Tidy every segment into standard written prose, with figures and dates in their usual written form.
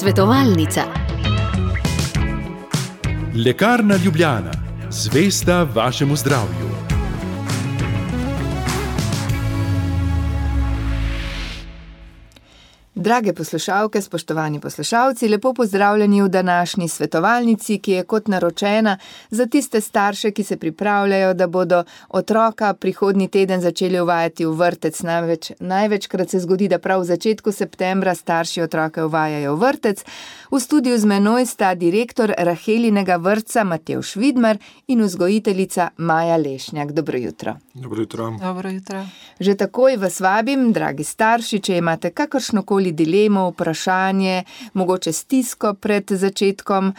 Svetovalnica. Lekarna Ljubljana, zvesta vašemu zdravju. Drage poslušalke, spoštovani poslušalci, lepo pozdravljeni v današnji svetovalnici, ki je kot naročena za tiste starše, ki se pripravljajo, da bodo otroka prihodnji teden začeli uvajati v vrtec. Največkrat se zgodi, da prav v začetku septembra starši otroke uvajajo v vrtec. V studiu z menoj sta direktor Rahelinega vrtca Matevž Vidmar in vzgojiteljica Maja Lešnjak. Dobro jutro. Dobro jutro. Dobro jutro. Že takoj vas vabim, dragi starši, če imate kakršnokoli dilemo, vprašanje, mogoče stisko pred začetkom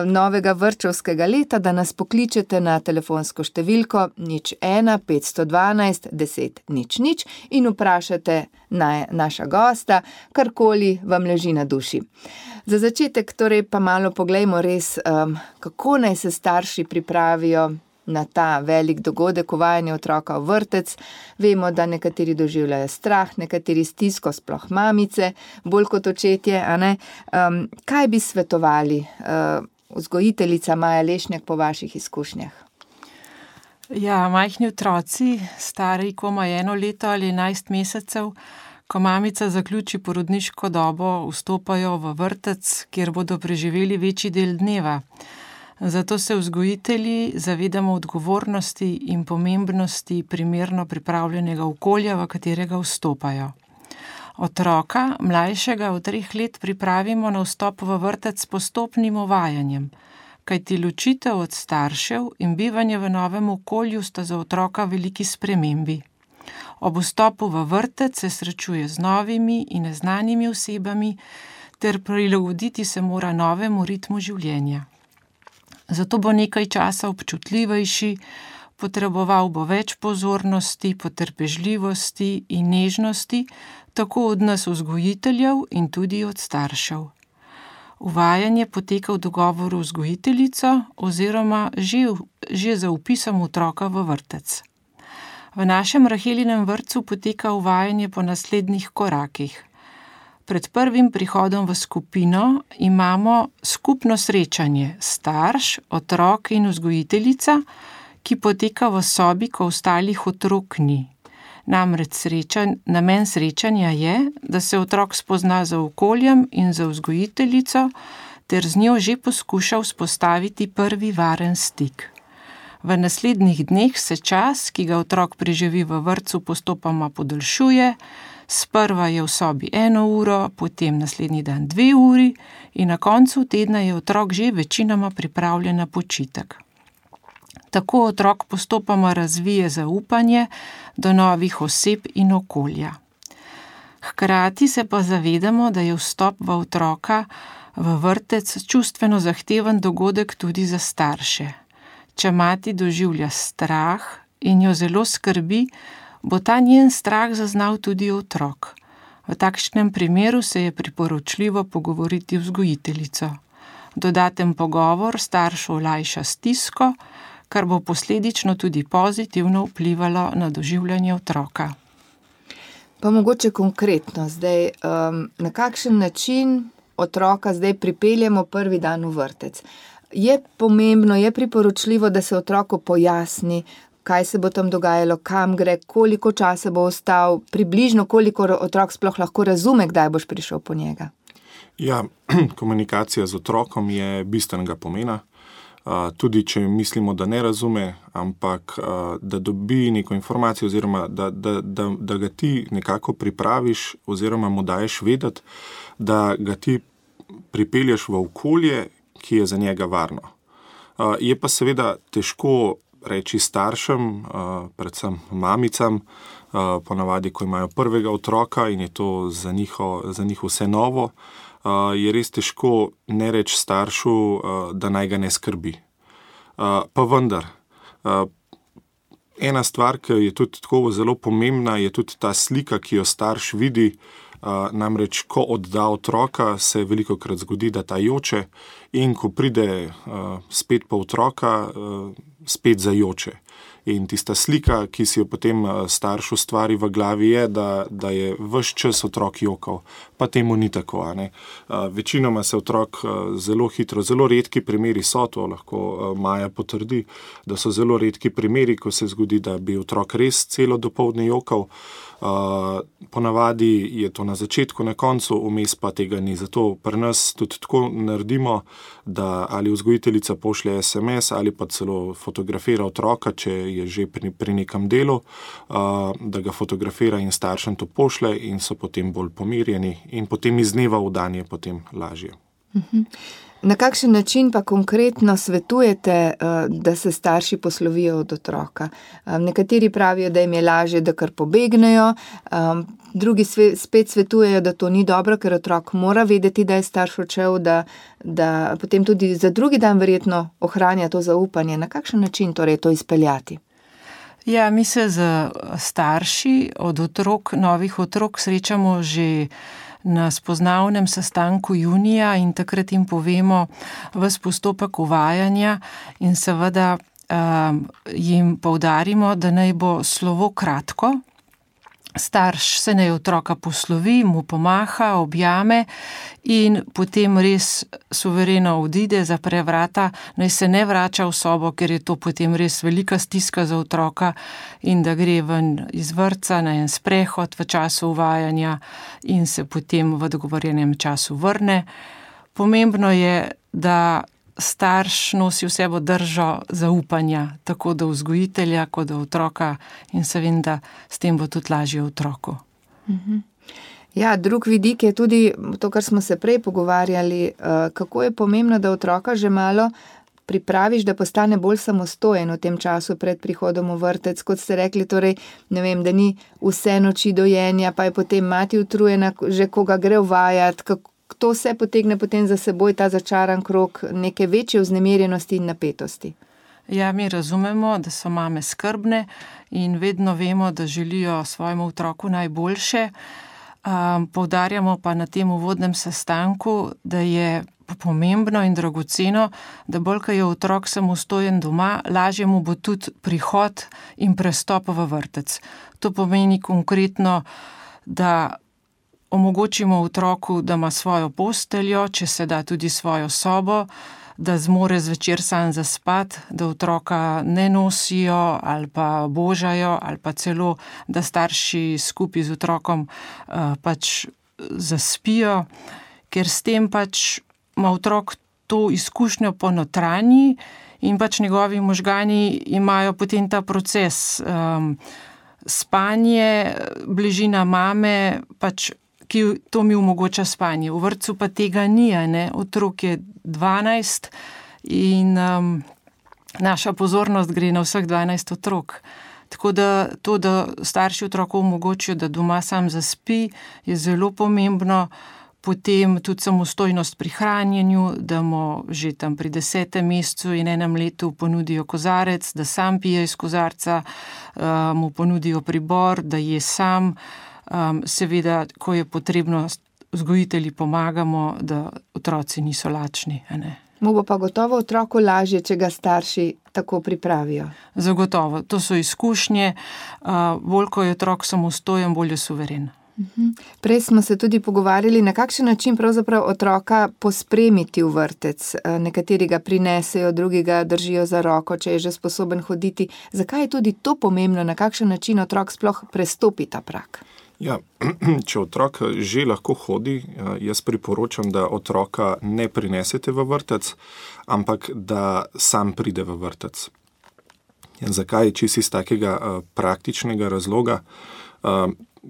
novega vrtčevskega leta, da nas pokličete na telefonsko številko 01 512 10 00 in vprašate naša gosta, karkoli vam leži na duši. Za začetek torej pa malo poglejmo res, kako naj se starši pripravijo na ta velik dogodek uvajanja otroka v vrtec. Vemo, da nekateri doživljajo strah, nekateri stisko, sploh mamice, bolj kot očetje, a ne? Kaj bi svetovali, vzgojiteljica Maja Lešnjak, po vaših izkušnjah? Ja, majhni otroci, stari komaj 1 leto ali 11 mesecev, ko mamica zaključi porodniško dobo, vstopajo v vrtec, kjer bodo preživeli večji del dneva. Zato se vzgojitelji zavedamo odgovornosti in pomembnosti primerno pripravljenega okolja, v katerega vstopajo. Otroka, mlajšega od 3 let, pripravimo na vstop v vrtec s postopnim uvajanjem, kajti ločitev od staršev in bivanje v novem okolju sta za otroka veliki spremembi. Ob vstopu v vrtec se srečuje z novimi in neznanimi osebami ter prilagoditi se mora novemu ritmu življenja. Zato bo nekaj časa občutljivejši, potreboval bo več pozornosti, potrpežljivosti in nežnosti, tako od nas vzgojiteljev in tudi od staršev. Uvajanje poteka v dogovoru z vzgojiteljico oziroma že za vpisom otroka v vrtec. V našem Rahelinem vrtcu poteka uvajanje po naslednjih korakih. Pred prvim prihodom v skupino imamo skupno srečanje starš, otrok in vzgojiteljica, ki poteka v sobi, ko ostalih otrok ni. Namreč namen srečanja je, da se otrok spozna z okoljem in z vzgojiteljico ter z njo že poskuša vzpostaviti prvi varen stik. V naslednjih dneh se čas, ki ga otrok preživi v vrtcu, postopoma podaljšuje. Sprva je v sobi 1 uro, potem naslednji dan 2 uri in na koncu tedna je otrok že večinoma pripravljen na počitek. Tako otrok postopoma razvije zaupanje do novih oseb in okolja. Hkrati se pa zavedamo, da je vstop v otroka v vrtec čustveno zahteven dogodek tudi za starše. Če mati doživlja strah in jo zelo skrbi, bo ta njen strah zaznal tudi otrok. V takšnem primeru se je priporočljivo pogovoriti vzgojiteljico. Dodaten pogovor staršu olajša stisko, kar bo posledično tudi pozitivno vplivalo na doživljanje otroka. Pa mogoče konkretno zdaj, na kakšen način otroka zdaj pripeljemo prvi dan v vrtec? Je pomembno, je priporočljivo, da se otroku pojasni, kaj se bo tam dogajalo, kam gre, koliko časa bo ostal, približno koliko otrok sploh lahko razume, kdaj boš prišel po njega? Ja, komunikacija z otrokom je bistvenega pomena. Tudi če mislimo, da ne razume, ampak da dobi neko informacijo oziroma da ga ti nekako pripraviš oziroma mu daješ vedeti, da ga ti pripelješ v okolje, ki je za njega varno. Je pa seveda težko reči staršem, predvsem mamicam, ponavadi, ko imajo prvega otroka in je to za njih vse novo, je res težko ne reči staršu, da naj ga ne skrbi. Pa vendar, ena stvar, ki je tudi tako zelo pomembna, je tudi ta slika, ki jo starš vidi. Namreč, ko odda otroka, se velikokrat zgodi, da ta joče in ko pride spet po otroka, spet zajoče. In tista slika, ki si jo potem starš ustvari v glavi, je, da je ves čas otrok jokal, pa temu ni tako. Večinoma se otrok zelo hitro, zelo redki primeri so, to lahko Maja potrdi, da so zelo redki primeri, ko se zgodi, da bi otrok res celo dopoldne jokal. Ponavadi je to na začetku, na koncu, vmes pa tega ni. Zato pri nas tudi tako naredimo, da ali vzgojiteljica pošlje SMS ali pa celo fotografira otroka, če je že pri nekem delu, da ga fotografira in staršem to pošlje in so potem bolj pomirjeni in potem iz dneva v dan je potem lažje. Na kakšen način pa konkretno svetujete, da se starši poslovijo od otroka? Nekateri pravijo, da jim je lažje, da kar pobegnejo, drugi spet svetujejo, da to ni dobro, ker otrok mora vedeti, da je starš odšel, da potem tudi za drugi dan verjetno ohranja to zaupanje. Na kakšen način torej to izpeljati? Ja, mi se z starši od otrok, novih otrok srečamo že na spoznavnem sestanku junija in takrat jim povemo ves postopek uvajanja in seveda jim poudarimo, da naj bo slovo kratko. Starš se naj otroka poslovi, mu pomaha, objame in potem res suvereno odide, zapre vrata, naj se ne vrača v sobo, ker je to potem res velika stiska za otroka in da gre ven iz vrtca na en sprehod v času uvajanja in se potem v dogovorjenem času vrne. Pomembno je, da starš nosi v sebo držo zaupanja, tako do vzgojitelja, kot do otroka in se vem, da s tem bo tudi lažje otroku. Ja, drug vidik je tudi to, kar smo se prej pogovarjali, kako je pomembno, da otroka že malo pripraviš, da postane bolj samostojen v tem času pred prihodom v vrtec, kot ste rekli, torej, ne vem, da ni vse noči dojenja, pa je potem mati utrujena, že koga gre uvajati, to vse potegne potem za seboj ta začaran krog neke večje vznemirjenosti in napetosti. Ja, mi razumemo, da so mame skrbne in vedno vemo, da želijo svojemu otroku najboljše. Poudarjamo pa na tem uvodnem sestanku, da je pomembno in dragoceno, da bolj, ko je otrok samostojen doma, lažje mu bo tudi prihod in prestop v vrtec. To pomeni konkretno, da omogočimo otroku, da ima svojo posteljo, če se da tudi svojo sobo, da zmore zvečer sam zaspati, da otroka ne nosijo ali pa božajo ali pa celo, da starši skupaj z otrokom pač zaspijo, ker s tem pač ima otrok to izkušnjo po notranji in pač njegovi možgani imajo potem ta proces spanje, bližina mame, pač ki to mi omogoča spanje. V vrtcu pa tega ni, ne? Otrok je 12 in naša pozornost gre na vseh 12 otrok. Tako da to, da starši otroku omogočijo, da doma sam zaspi, je zelo pomembno. Potem tudi samostojnost pri hranjenju, da mu že tam pri 10. mesecu in 1 letu ponudijo kozarec, da sam pije iz kozarca, mu ponudijo pribor, da je sam. Seveda, ko je potrebno, vzgojitelji pomagamo, da otroci niso lačni. Mu bo pa gotovo otroku lažje, če ga starši tako pripravijo. Zagotovo, to so izkušnje. Bolj, ko je otrok samostojen, bolj je suveren. Prej smo se tudi pogovarjali, na kakšen način pravzaprav otroka pospremiti v vrtec. Nekateri ga prinesejo, drugi ga držijo za roko, če je že sposoben hoditi. Zakaj je tudi to pomembno, na kakšen način otrok sploh prestopi ta prag? Ja, če otrok že lahko hodi, jaz priporočam, da otroka ne prinesete v vrtec, ampak da sam pride v vrtec. Zakaj? Čisto iz takega praktičnega razloga,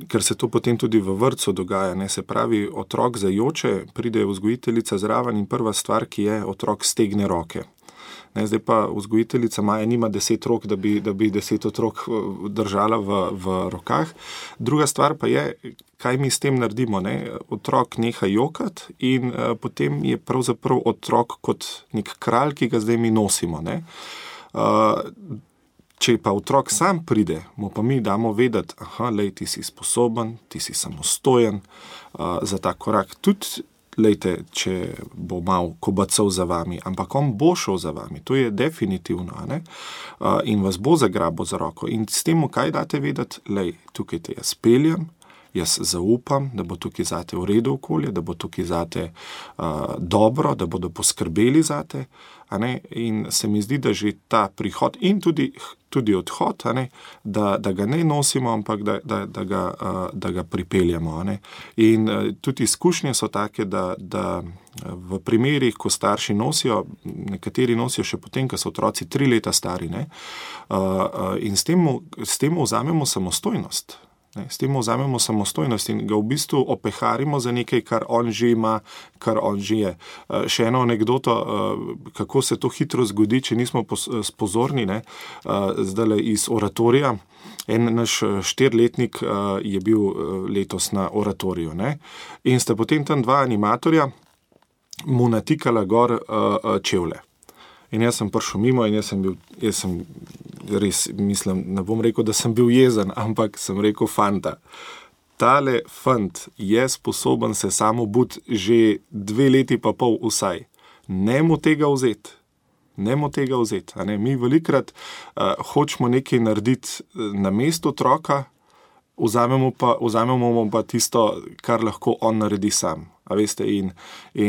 ker se to potem tudi v vrtcu dogaja. Se pravi, otrok zajoče, pride vzgojiteljica zraven in prva stvar, ki je, otrok stegne roke. Zdaj pa vzgojiteljica Maja nima 10 rok, da bi 10 otrok držala v rokah. Druga stvar pa je, kaj mi s tem naredimo. Otrok neha jokati in potem je pravzaprav otrok kot nek kralj, ki ga zdaj mi nosimo. Če pa otrok sam pride, mu pa mi damo vedeti, ti si sposoben, ti si samostojen za ta korak. Tudi lejte, če bo mal kobacal za vami, ampak on bo šel za vami, to je definitivno, ne? In vas bo zagrabil za roko. In s tem, kaj date vedeti, lej, tukaj te jaz peljem, jaz zaupam, da bo tukaj zate v redu okolje, da bo tukaj zate dobro, da bodo poskrbeli zate, a ne? In se mi zdi, da že ta prihod in tudi odhod, a ne? Da ga ne nosimo, ampak da ga pripeljamo. A ne? In tudi izkušnje so take, da v primerih, ko starši nosijo, nekateri nosijo še potem, ko so otroci 3 leta stari, ne? In s tem vzamemo samostojnost. S tem vzamemo samostojnost in ga v bistvu opeharimo za nekaj, kar on že ima, kar on že je. Še eno anekdoto, kako se to hitro zgodi, če nismo pozorni, ne? Zdajle iz oratorija. En naš 4-letnik je bil letos na oratoriju, ne? In sta potem tam 2 animatorja mu natikala gor čevlje. In jaz sem prišel mimo in jaz sem res, mislim, ne bom rekel, da sem bil jezen, ampak sem rekel, fanta, tale fant je sposoben se samo obut že 2 leti pa pol vsaj. Ne mu tega vzeti. A ne? Mi velikrat hočemo nekaj narediti na mestu otroka, vzamemo pa tisto, kar lahko on naredi sam. A veste, in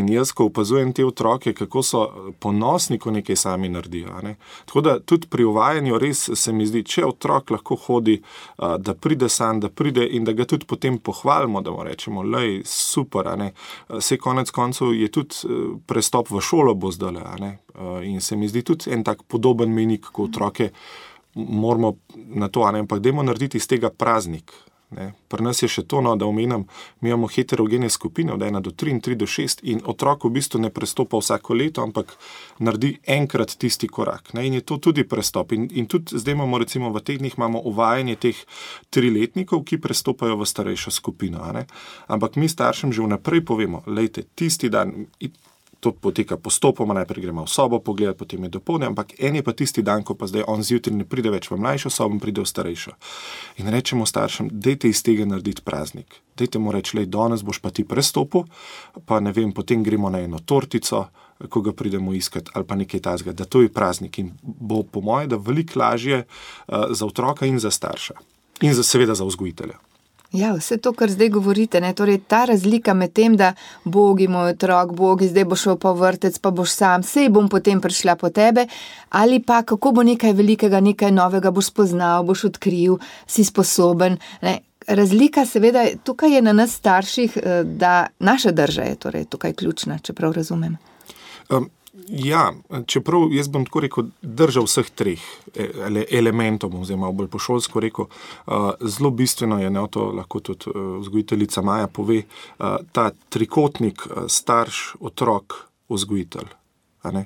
jaz, ko opazujem te otroke, kako so ponosni, ko nekaj sami naredijo. A ne? Tako da tudi pri uvajanju res se mi zdi, če otrok lahko hodi, da pride sam, da pride in da ga tudi potem pohvalimo, da mu rečemo, lej, super, a ne. Saj konec koncev je tudi prestop v šolo bo zdajle, a ne. In se mi zdi tudi en tak podoben mejnik, ko otroke moramo na to, a ne, ampak dajmo narediti iz tega praznik. Ne. Pri nas je še to, no, da omenjam, mi imamo heterogene skupine od 1 do 3 in 3 do 6 in otrok v bistvu ne prestopa vsako leto, ampak naredi enkrat tisti korak. Ne. In je to tudi prestop. In tudi zdaj imamo recimo v teh dneh imamo uvajanje teh 3-letnikov, ki prestopajo v starejšo skupino. A ne. Ampak mi staršem že vnaprej povemo, lejte, tisti dan, to poteka postopoma, najprej gremo v sobo pogledati, potem je dopoldne, ampak en je pa tisti dan, ko pa zdaj on zjutraj ne pride več v mlajšo sobo, pride v starejšo. In rečemo staršem, dajte iz tega narediti praznik. Dajte mu reči, lej, danes boš pa ti prestopil, pa ne vem, potem gremo na eno tortico, ko ga pridemo iskat, ali pa nekaj tazga, da to je praznik in bo po moje, da veliko lažje za otroka in za starša. In seveda za vzgojitelja. Ja, vse to, kar zdaj govorite, ne, torej ta razlika med tem, da Bogi, moj otrok, Bogi, zdaj boš šel pa v vrtec, pa boš sam, sej bom potem prišla po tebe, ali pa kako bo nekaj velikega, nekaj novega boš spoznal, boš odkril, si sposoben. Ne. Razlika seveda, tukaj je na nas starših, da naša drža je torej tukaj ključna, čeprav razumem. Ja, čeprav jaz bom tako rekel, držal vseh 3 elementov, oziroma bolj po šolsko rekel, zelo bistveno je, ne, to lahko tudi vzgojiteljica Maja pove, ta trikotnik starš, otrok, vzgojitelj. A ne?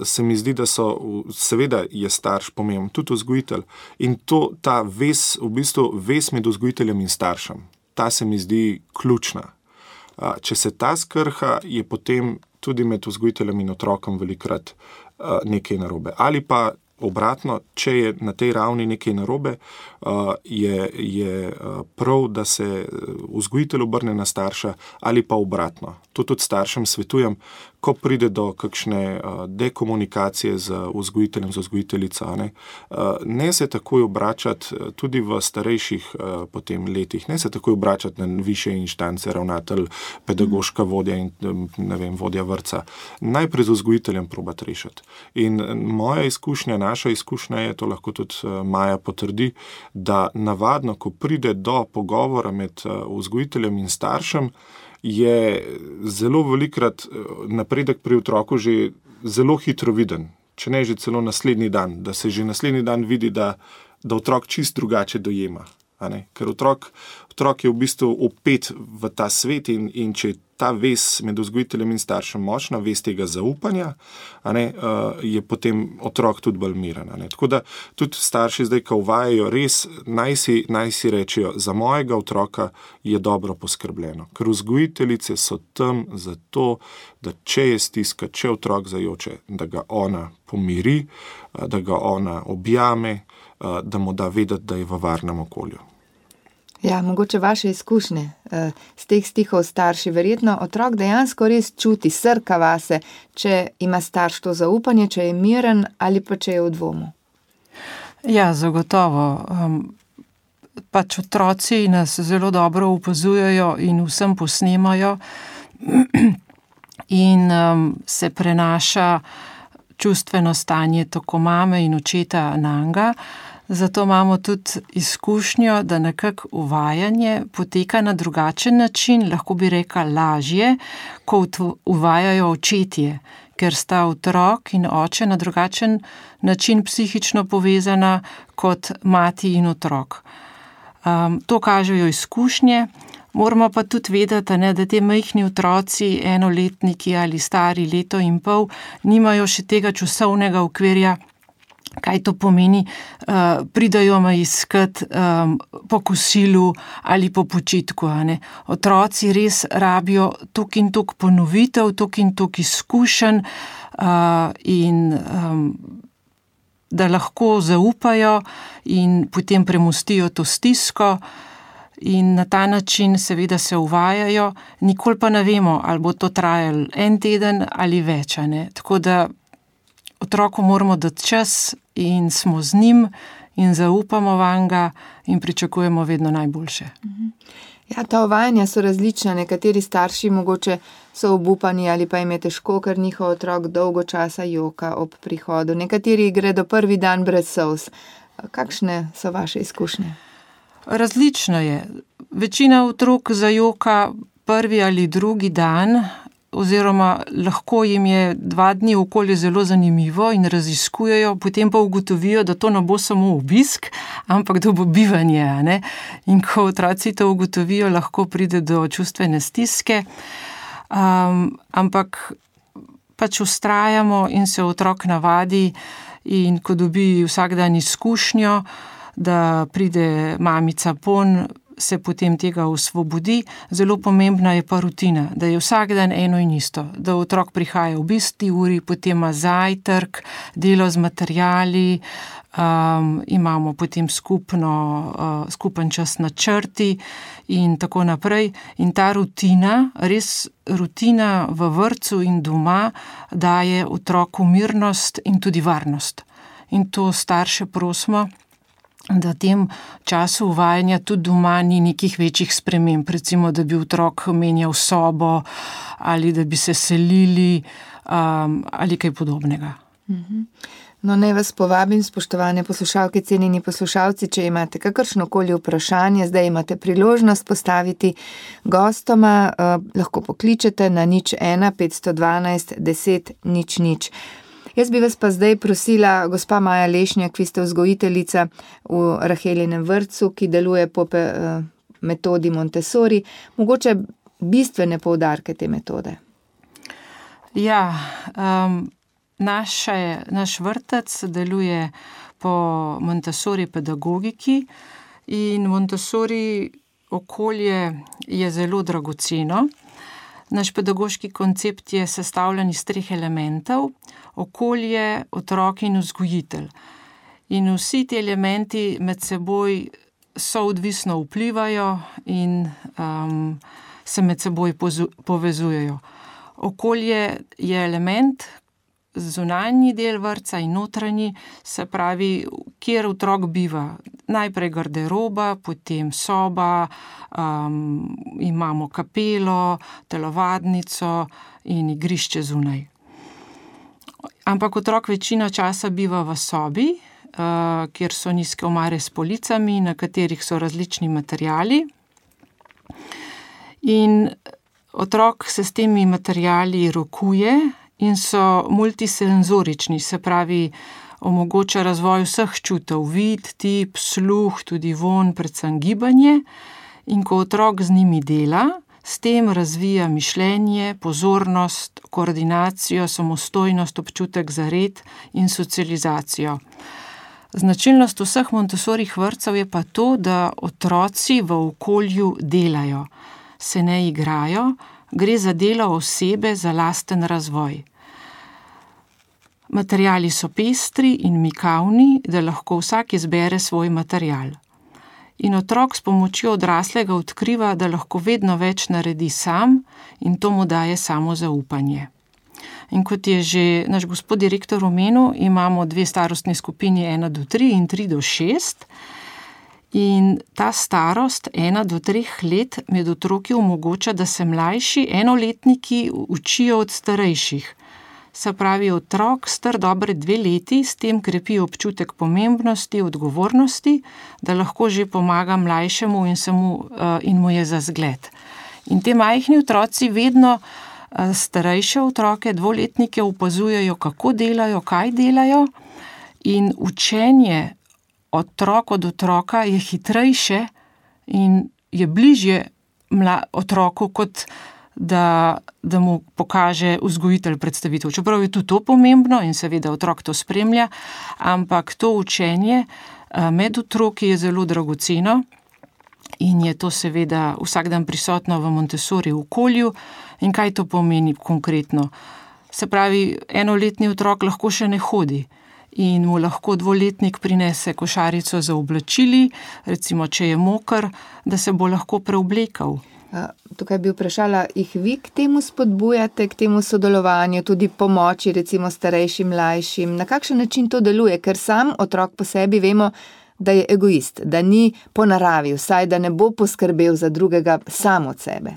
Se mi zdi, da seveda je starš pomemben, tudi vzgojitelj. In ta vez, v bistvu vez med vzgojiteljem in staršem, ta se mi zdi ključna. Če se ta skrha, je potem tudi med vzgojiteljem in otrokom velikrat nekaj narobe. Ali pa obratno, če je na tej ravni nekaj narobe, je prav, da se vzgojitelj obrne na starša ali pa obratno. To tudi staršem svetujem, ko pride do kakšne dekomunikacije z vzgojiteljem, z vzgojiteljico, ne se takoj obračati tudi v starejših potem letih, ne se takoj obračati na višje inštance, ravnatelj, pedagoška vodja in ne vem, vodja vrtca. Najprej z vzgojiteljem probati rešiti. In moja izkušnja, naša izkušnja je, to lahko tudi Maja potrdi, da navadno, ko pride do pogovora med vzgojiteljem in staršem, je zelo velikrat napredek pri otroku že zelo hitro viden, če ne že celo naslednji dan, da se že naslednji dan vidi, da otrok čist drugače dojema. A ne? Ker otrok je v bistvu vpet v ta svet in če je ta vez med vzgojiteljem in staršem močna, vez tega zaupanja, a ne, je potem otrok tudi bolj miren. A ne? Tako da tudi starši zdaj, ko uvajajo, res naj si rečejo, za mojega otroka je dobro poskrbljeno. Ker vzgojiteljice so tam zato, da če je stiska, če otrok zajoče, da ga ona pomiri, da ga ona objame, da mu da vedeti, da je v varnem okolju. Ja, mogoče vaše izkušnje z teh stikov starši. Verjetno otrok dejansko res čuti, srka vase, če ima starš to zaupanje, če je miren ali pa če je v dvomu. Ja, zagotovo. Pač otroci nas zelo dobro opazujejo in vsem posnemajo in se prenaša čustveno stanje tako mame in očeta nanga. Zato imamo tudi izkušnjo, da nekako uvajanje poteka na drugačen način, lahko bi rekla lažje, kot uvajajo očetje, ker sta otrok in oče na drugačen način psihično povezana kot mati in otrok. To kažejo izkušnje, moramo pa tudi vedeti, da te majhni otroci, enoletniki ali stari leto in pol, nimajo še tega časovnega okvirja, kaj to pomeni, pridajo me iskat po kosilu ali po počitku. Otroci res rabijo tok in tok ponovitev, tok in tok izkušenj in da lahko zaupajo in potem premostijo to stisko in na ta način seveda se uvajajo, nikoli pa ne vemo, ali bo to trajalo en teden ali več. Tako da otroku moramo dati čas in smo z njim in zaupamo vanga in pričakujemo vedno najboljše. Ja, ta uvajanja so različna. Nekateri starši mogoče so obupani ali pa jim je težko, ker njihov otrok dolgo časa joka ob prihodu. Nekateri gredo prvi dan brez solz. Kakšne so vaše izkušnje? Različno je. Večina otrok zajoka prvi ali drugi dan, oziroma lahko jim je 2 dni okolje zelo zanimivo in raziskujejo, potem pa ugotovijo, da to ne bo samo obisk, ampak da bo bivanje. In ko otroci to ugotovijo, lahko pride do čustvene stiske, ampak pač vztrajamo in se otrok navadi in ko dobi vsak dan izkušnjo, da pride mamica pon, se potem tega osvobodi. Zelo pomembna je pa rutina, da je vsak dan eno in isto, da otrok prihaja ob isti uri, potem ima zajtrk, delo z materiali, imamo potem skupen čas na črti in tako naprej. In ta rutina, res rutina v vrtcu in doma, daje otroku mirnost in tudi varnost. In to starše prosimo, da v tem času uvajanja tudi doma ni nekih večjih sprememb, recimo, da bi otrok menjal sobo ali da bi se selili ali kaj podobnega. No, naj vas povabim, spoštovane poslušalke, cenjeni poslušalci, če imate kakršnokoli vprašanje, zdaj imate priložnost postaviti gostoma, lahko pokličete na 01 512 10 00. Jaz bi vas pa zdaj prosila, gospa Maja Lešnjak, vi ste vzgojiteljica v Rahelinem vrtcu, ki deluje po metodi Montessori. Mogoče bistvene poudarke te metode. Ja, naš vrtec deluje po Montessori pedagogiki in Montessori okolje je zelo dragoceno. Naš pedagoški koncept je sestavljen iz 3 elementov: okolje, otrok in vzgojitelj. In vsi ti elementi med seboj soodvisno vplivajo in se med seboj povezujejo. Okolje je element, zunanji del vrtca in notranji, se pravi, kjer otrok biva. Najprej garderoba, potem soba, imamo kapelo, telovadnico in igrišče zunaj. Ampak otrok večino časa biva v sobi, kjer so nizke omare s policami, na katerih so različni materiali. In otrok se s temi materiali rokuje in so multisenzorični, se pravi, omogoča razvoj vseh čutov, vid, tip, sluh, tudi vonj, predvsem gibanje. In ko otrok z njimi dela, s tem razvija mišljenje, pozornost, koordinacijo, samostojnost, občutek za red in socializacijo. Značilnost vseh Montessorjih vrtcev je pa to, da otroci v okolju delajo, se ne igrajo, gre za delo osebe za lasten razvoj. Materiali so pestri in mikavni, da lahko vsak izbere svoj material. in otrok s pomočjo odraslega odkriva, da lahko vedno več naredi sam in to mu daje samozaupanje. In kot je že naš gospod direktor omenil, imamo 2 starostni skupini 1 do 3 in 3 do 6. In ta starost 1 do 3 let med otroki omogoča, da se mlajši enoletniki učijo od starejših. Se pravi, otrok star dobre 2 leti s tem krepi občutek pomembnosti, odgovornosti, da lahko že pomaga mlajšemu in mu je za zgled. In te majhni otroci vedno starejše otroke, 2-letnike opazujejo, kako delajo, kaj delajo, in učenje otrok od otroka je hitrejše in je bližje otroku, kot da mu pokaže vzgojitelj predstavitev. Čeprav je tudi to pomembno in seveda otrok to spremlja, ampak to učenje med otroki je zelo dragoceno in je to seveda vsak dan prisotno v Montessori okolju. In kaj to pomeni konkretno? Se pravi, 1-letni otrok lahko še ne hodi in mu lahko 2-letnik prinese košarico za oblačili, recimo, če je moker, da se bo lahko preoblekal. Tukaj bi vprašala, jih vi k temu spodbujate, k temu sodelovanju, tudi pomoči, recimo starejšim, mlajšim? Na kakšen način to deluje? Ker sam otrok po sebi vemo, da je egoist, da ni po naravi, vsaj da ne bo poskrbel za drugega sam od sebe.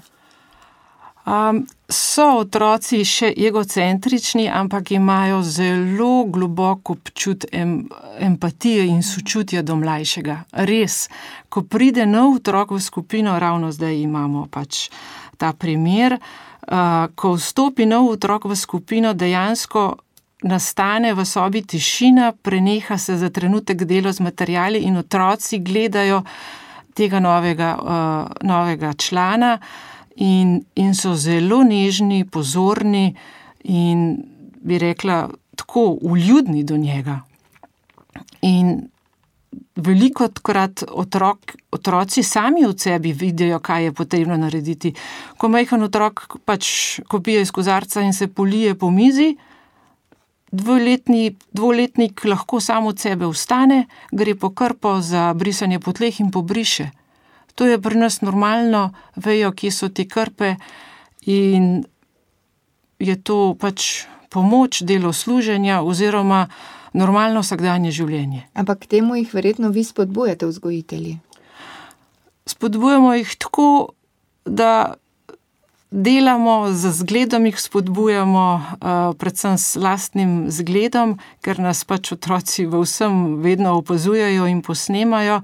So otroci še egocentrični, ampak imajo zelo globok občut empatije in sočutja do mlajšega. Res, ko pride nov otrok v skupino, ravno zdaj imamo pač ta primer, ko vstopi nov otrok v skupino, dejansko nastane v sobi tišina, preneha se za trenutek delo z materiali in otroci gledajo tega novega člana, in so zelo nežni, pozorni in bi rekla tako vljudni do njega. In velikokrat otroci sami od sebi vidijo, kaj je potrebno narediti. Ko majhen otrok pač ko pije iz kozarca in se polije po mizi, 2-letnik lahko sam od sebe vstane, gre po krpo za brisanje po tleh in pobriše. To je pri nas normalno, vejo, kje so te krpe in je to pač pomoč, delo služenja oziroma normalno vsakdanje življenje. Ampak k temu jih verjetno vi spodbujate, vzgojitelji? Spodbujamo jih tako, da delamo z zgledom, jih spodbujamo predvsem s lastnim zgledom, ker nas pač otroci v vsem vedno opazujejo in posnemajo.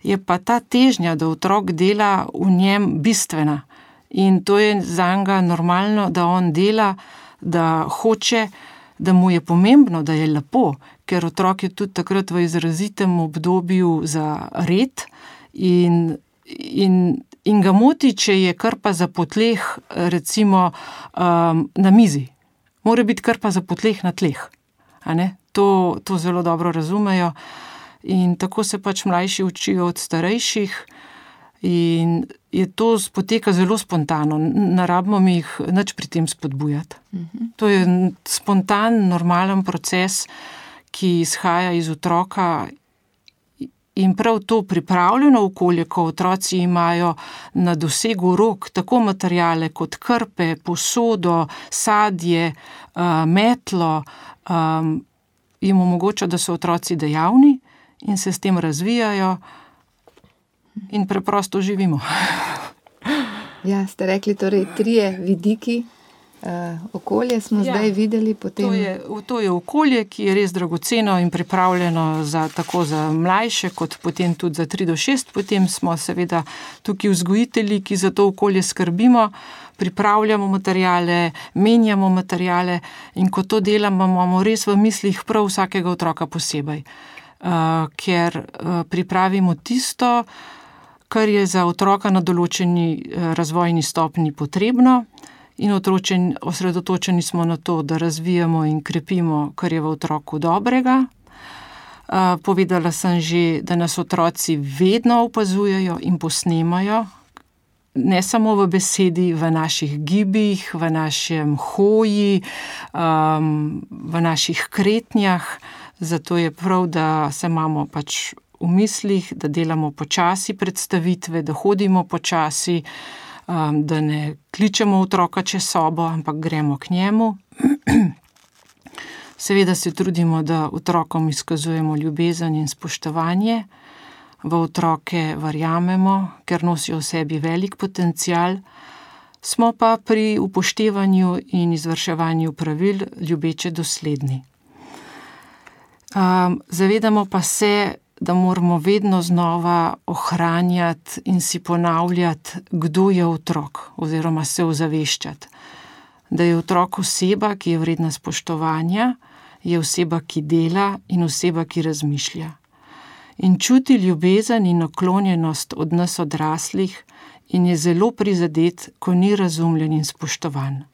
Je pa ta težnja, da otrok dela v njem bistvena. In to je zanj normalno, da on dela, da hoče, da mu je pomembno, da je lepo, ker otrok je tudi takrat v izrazitem obdobju za red in ga moti, če je krpa za po tleh, recimo na mizi. Mora biti krpa za po tleh na tleh. A ne? To zelo dobro razumejo. In tako se pač mlajši učijo od starejših in to poteka zelo spontano. Ne rabimo mi jih nič pri tem spodbujati. To je spontan, normalen proces, ki izhaja iz otroka in prav to pripravljeno okolje, ko otroci imajo na dosegu rok tako materijale kot krpe, posodo, sadje, metlo, jim omogoča, da so otroci dejavni in se s tem razvijajo in preprosto živimo. Ja, ste rekli, torej 3 vidiki. Okolje smo zdaj videli potem. To je okolje, ki je res dragoceno in pripravljeno tako za mlajše, kot potem tudi za 3 do 6. Potem smo seveda tukaj vzgojitelji, ki za to okolje skrbimo, pripravljamo materijale, menjamo materijale in ko to delamo, imamo res v mislih prav vsakega otroka posebej. Ker pripravimo tisto, kar je za otroka na določeni razvojni stopnji potrebno in osredotočeni smo na to, da razvijamo in krepimo, kar je v otroku dobrega. Povedala sem že, da nas otroci vedno opazujejo in posnemajo, ne samo v besedi, v naših gibih, v našem hoji, v naših kretnjah. Zato je prav, da se imamo pač v mislih, da delamo počasi predstavitve, da hodimo počasi, da ne kličemo otroka čez sobo, ampak gremo k njemu. Seveda se trudimo, da otrokom izkazujemo ljubezen in spoštovanje. V otroke verjamemo, ker nosijo v sebi velik potencial. Smo pa pri upoštevanju in izvrševanju pravil ljubeče dosledni. Zavedamo pa se, da moramo vedno znova ohranjati in si ponavljati, kdo je otrok, oziroma se ozaveščati. Da je otrok oseba, ki je vredna spoštovanja, je oseba, ki dela in oseba, ki razmišlja. In čuti ljubezen in naklonjenost od nas odraslih in je zelo prizadet, ko ni razumljen in spoštovan.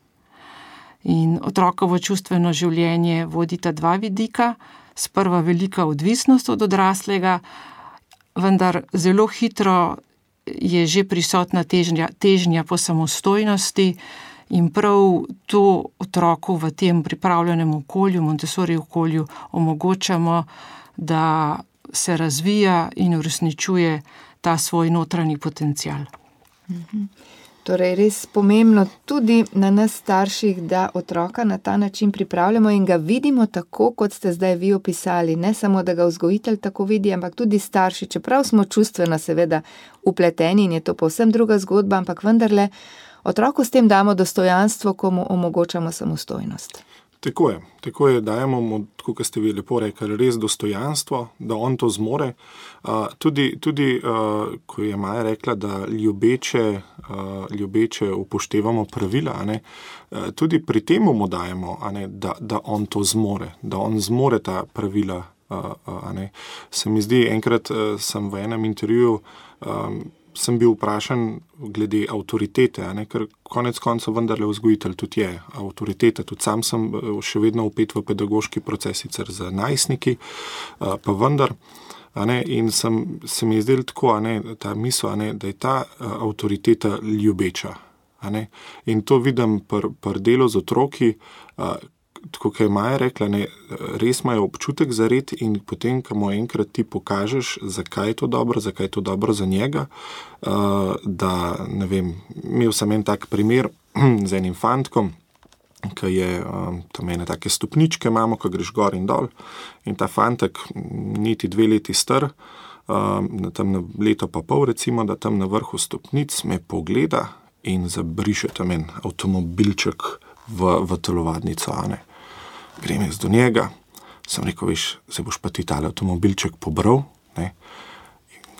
In otrokovo čustveno življenje vodita dva vidika, sprva velika odvisnost od odraslega, vendar zelo hitro je že prisotna težnja po samostojnosti in prav to otroku v tem pripravljenem okolju, Montessori okolju, omogočamo, da se razvija in uresničuje ta svoj notranji potencial. Torej, res pomembno tudi na nas starših, da otroka na ta način pripravljamo in ga vidimo tako, kot ste zdaj vi opisali. Ne samo, da ga vzgojitelj tako vidi, ampak tudi starši, čeprav smo čustveno seveda upleteni in je to povsem druga zgodba, ampak vendarle otroku s tem damo dostojanstvo, ko mu omogočamo samostojnost. Tako je, dajemo mu, tako kot ste vi lepo rekli, res dostojanstvo, da on to zmore. Tudi ko je Maja rekla, da ljubeče upoštevamo pravila, tudi pri tem mu dajemo, da on to zmore, da on zmore ta pravila. Se mi zdi, enkrat sem v enem intervjuju sem bil vprašan glede avtoritete, ker konec koncev vendarle vzgojitelj tudi je avtoriteta. Tudi sam sem še vedno vpet v pedagoški proces, sicer za najstniki, pa vendar. In se mi je zdelo tako, ta misel, da je ta avtoriteta ljubeča. In to vidim pri delu z otroki, tako kot je Maja rekla, res imajo občutek za red in potem, ko mu enkrat ti pokažeš, zakaj je to dobro za njega, da, ne vem, imel sem en tak primer z enim fantkom, ki je tam ene take stopničke imamo, ko greš gor in dol in ta fantek niti 2 leti star, tam na leto pa pol recimo, da tam na vrhu stopnic me pogleda in zabriše tam en avtomobilček v telovadnico, Grem jaz do njega, sem rekel, veš, se boš pa ti tale avtomobilček pobral, Ga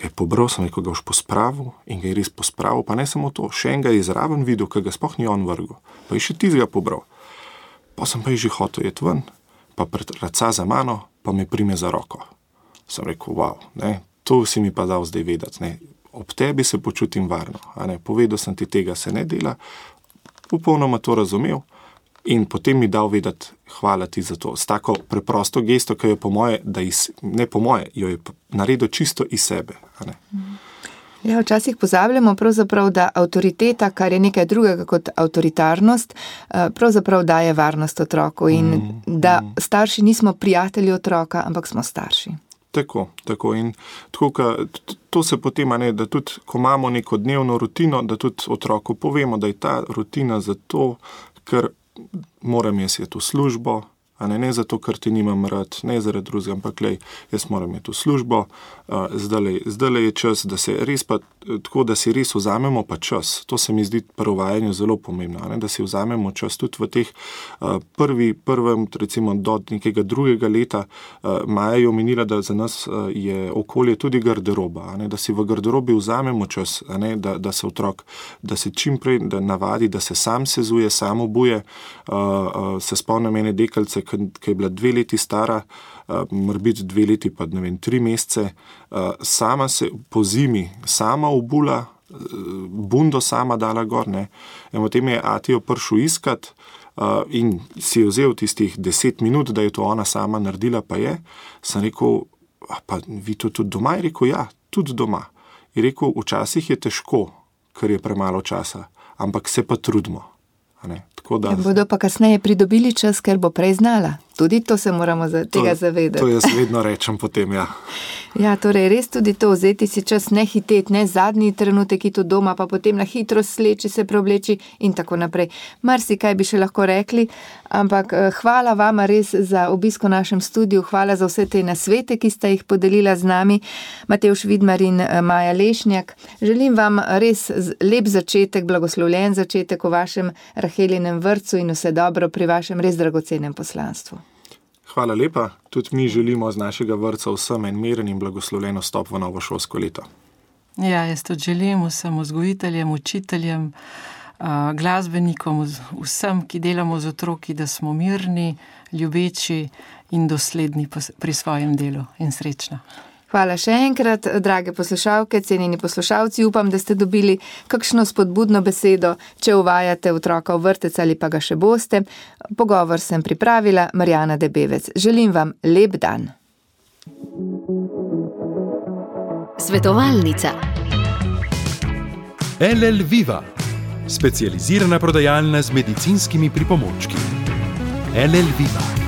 je pobral, sem rekel, ga boš pospravil in ga je res pospravil, pa ne samo to, še en ga je zraven videl, ki ga sploh ni on vrgel, pa je še ti ga pobral. Pa sem pa že hotel iti ven, pa raca za mano, pa me prime za roko. Sem rekel, wow, to si mi pa dal zdaj vedeti, ob tebi se počutim varno, povedal sem ti, tega se ne dela, popolnoma to razumel. In potem mi dal vedeti, hvala ti za to. S tako preprosto gesto, ki jo jo je naredil čisto iz sebe. Ja, včasih pozabljamo pravzaprav, da avtoriteta, kar je nekaj drugega kot avtoritarnost, pravzaprav daje varnost otroku in da starši nismo prijatelji otroka, ampak smo starši. Tako. In tako, to se potem, da tudi, ko imamo neko dnevno rutino, da tudi otroku povemo, da je ta rutina zato, ker moram jaz iti v službo, ne zato, ker ti nimam rad, ne zaradi drugega, ampak jaz moram iti v službo, zdaj je čas, da se res pa tako, da si res vzamemo pa čas. To se mi zdi pri uvajanju zelo pomembno, da si vzamemo čas tudi v teh prvem, recimo do nekega 2. leta. Maja je omenila, da za nas je okolje tudi garderoba, da si v garderobi vzamemo čas, da se otrok, da se čimprej navadi, da se sam sezuje, sam obuje. Se spomnim ene deklice, ki je bila 2 leti stara, mora biti 2 leti pa 3 mesece, sama se po zimi sama obula, bundo sama dala gor, In potem je atijo prišel iskat in si je vzel tistih 10 minut, da je to ona sama naredila, pa je. Sem rekel, pa vi to tudi doma? Je rekel, ja, tudi doma. Je rekel, včasih je težko, ker je premalo časa, ampak se pa trudimo. Bodo pa kasneje pridobili čas, ker bo prej znala. Tudi to se moramo tega zavedati. To jaz vedno rečem potem, ja. Ja, torej res tudi to, vzeti si čas, ne hiteti, ne zadnji trenutek iti doma, pa potem na hitro sleči, se preobleči in tako naprej. Marsikaj bi še lahko rekli, ampak hvala vama res za obisk v našem studiu, hvala za vse te nasvete, ki ste jih podelila z nami, Matevž Vidmar in Maja Lešnjak. Želim vam res lep začetek, blagoslovljen začetek v vašem Rahelinem vrtcu in vse dobro pri vašem res dragocenem poslanstvu. Hvala lepa. Tudi mi želimo z našega vrtca vsem en miren in blagoslovljen vstop v novo šolsko leto. Ja, jaz tudi želim vsem vzgojiteljem, učiteljem, glasbenikom, vsem, ki delamo z otroki, da smo mirni, ljubeči in dosledni pri svojem delu in srečno. Hvala še enkrat, drage poslušalke, cenjeni poslušalci, upam, da ste dobili kakšno spodbudno besedo, če uvajate otroka v vrtec ali pa ga še boste. Pogovor sem pripravila Marjana Debevec. Želim vam lep dan. Svetovalnica. LL Viva, specializirana prodajalna z medicinskimi pripomočki. LL Viva.